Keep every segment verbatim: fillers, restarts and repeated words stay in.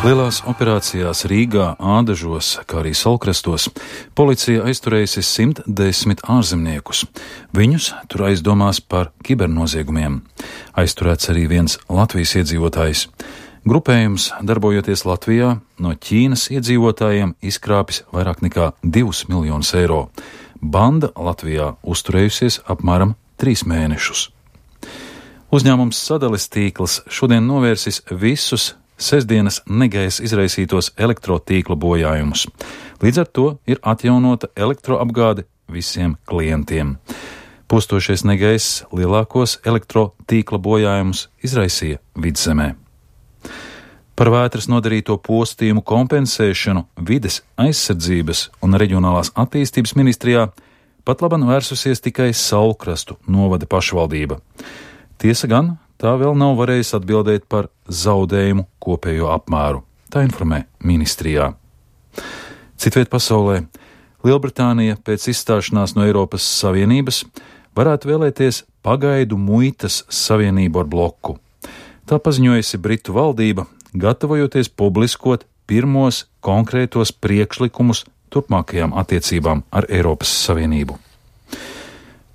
Lielās operācijās Rīgā, Ādažos, kā arī Saulkrastos policija aizturējusi simt desmit ārzemniekus. Viņus tur aizdomās par kibernoziegumiem. Aizturēts arī viens Latvijas iedzīvotājs. Grupējums, darbojoties Latvijā, no Ķīnas iedzīvotājiem izkrāpis vairāk nekā divus miljonus eiro. Banda Latvijā uzturējusies apmēram trīs mēnešus. Uzņēmums Sadales tīkls šodien novērsis visus sestdienas negaisa izraisītos elektrotīkla bojājumus. Līdz ar to ir atjaunota elektroapgāde visiem klientiem. Postošais negaiss lielākos elektrotīkla bojājumus izraisīja Vidzemē. Par vētras nodarīto postījumu kompensēšanu Vides aizsardzības un reģionālās attīstības ministrijā pat laban vērsusies tikai Saulkrastu novada pašvaldība. Tiesa gan, tā vēl nav varējusi atbildēt par zaudējumu kopējo apmēru. Tā informē ministrijā. Citviet pasaulē Lielbritānija pēc izstāšanās no Eiropas Savienības varētu vēlēties pagaidu muitas savienību ar bloku. Tā paziņojusi Britu valdība, gatavojoties publiskot pirmos konkrētos priekšlikumus turpmākajām attiecībām ar Eiropas Savienību.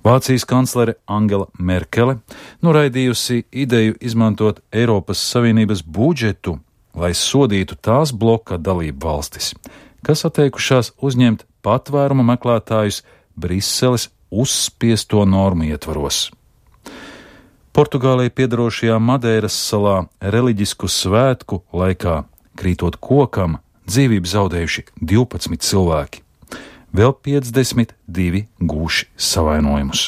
Vācijas kanclere Angela Merkele noraidījusi ideju izmantot Eiropas Savienības budžetu, lai sodītu tās bloka dalību valstis, kas atteikušās uzņemt patvēruma meklētājus Briseles uzspiesto normu ietvaros. Portugālei piedarošajā Madeiras salā reliģisku svētku laikā, krītot kokam, dzīvību zaudējuši divpadsmit cilvēki. Vēl piecdesmit divi gūši savainojumus.